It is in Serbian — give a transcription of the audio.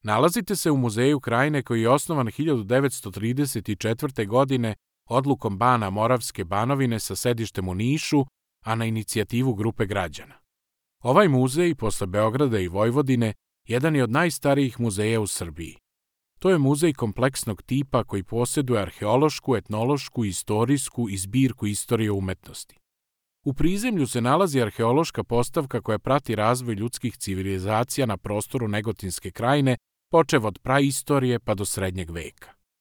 Nalazite se u Muzeju Krajine koji je osnovan 1934. godine odlukom Bana Moravske Banovine sa sedištem u Nišu, a na inicijativu grupe građana. Ovaj muzej, posle Beograda i Vojvodine, jedan je od najstarijih muzeja u Srbiji. To je muzej kompleksnog tipa koji posjeduje arheološku, etnološku, istorijsku i zbirku istorije umetnosti. U prizemlju se nalazi arheološka postavka koja prati razvoj ljudskih civilizacija na prostoru Negotinske krajine, počev od praistorije pa do srednjeg veka.